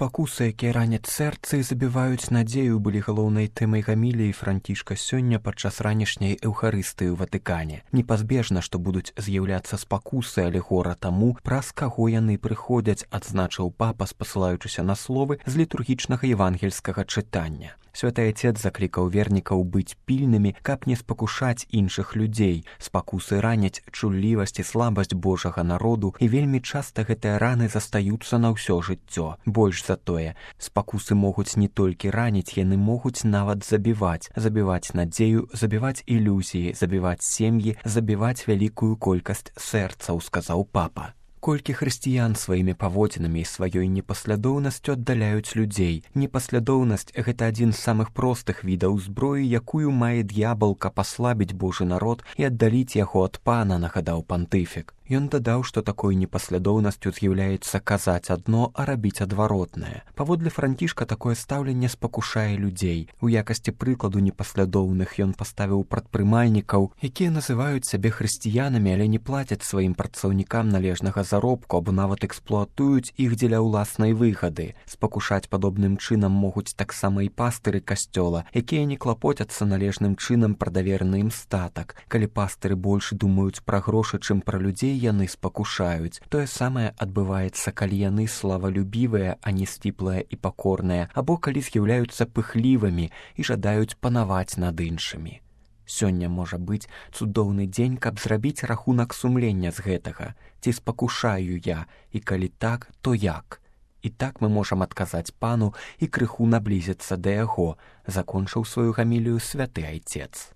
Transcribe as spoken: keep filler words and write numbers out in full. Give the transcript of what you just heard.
Спакусы, якія раняць сэрцы і забіваюць надзею, былі галоўнай тэмай гаміліі Францішка сёння падчас ранішняй эўхарыстыі ў Ватыкане. Непазбежна, што будуць з'яўляцца спакусы, але гора таму, праз каго яны прыходзяць, адзначыў папа, спасылаючыся на словы з літургічнага евангельскага чытання. Святы Отец заклікаў вернікаў быць пільнымі, каб не спакушаць іншых людзей. Спакусы раняць чуллівасць і слабасць Божага народу, і вельмі часта гэтыя раны застаюцца на ўсё жыццё. Больш за тое, спакусы могуць не толькі раніць, яны могуць нават забіваць. Забіваць надзею, забіваць ілюзіі, забіваць сем'і, забіваць вялікую колькасць сэрцаў, сказаў папа. Колькі хрысціян сваімі паводзінамі і сваёй непаслядоўнасцю аддаляюць людзей. Непаслядоўнасць – гэта адзін з самых простых відаў зброі, якую мае д'ябал, каб аслабіць Божы народ і аддаліць яго ад пана, нагадаў пантыфік. Ён дадаў, што такой непаслядоўнасцю з'яўляецца казаць адно, а рабіць адваротнае. Паводле Францішка такое стаўленне спакушае людзей. У якасці прыкладу непаслядоўных ён паставіў прадпрымальнікаў, якія называюць сябе хрысціянамі, але не плацяць сваім працаўнікам належнага заробку або нават эксплуатуюць іх дзеля ўласнай выгады. Спакушаць падобным чынам могуць таксама і пастыры касцёла, якія не клапоцяцца належным чынам пра давераны ім статак. Калі пастыры больш думаюць пра грошы, чым пра людзей, яны спакушаюць. Тое самае адбываецца, калі яны славалюбівыя, а не сціплыя і пакорныя, або калі з'яўляюцца пыхлівымі і жадаюць панаваць над іншымі. Сёння можа быць цудоўны дзень, каб зрабіць рахунак сумлення з гэтага. Ці спакушаю я, і калі так, то як? І так мы можам адказаць пану і крыху наблізіцца да яго, закончыў сваю гамілію святы Айцец.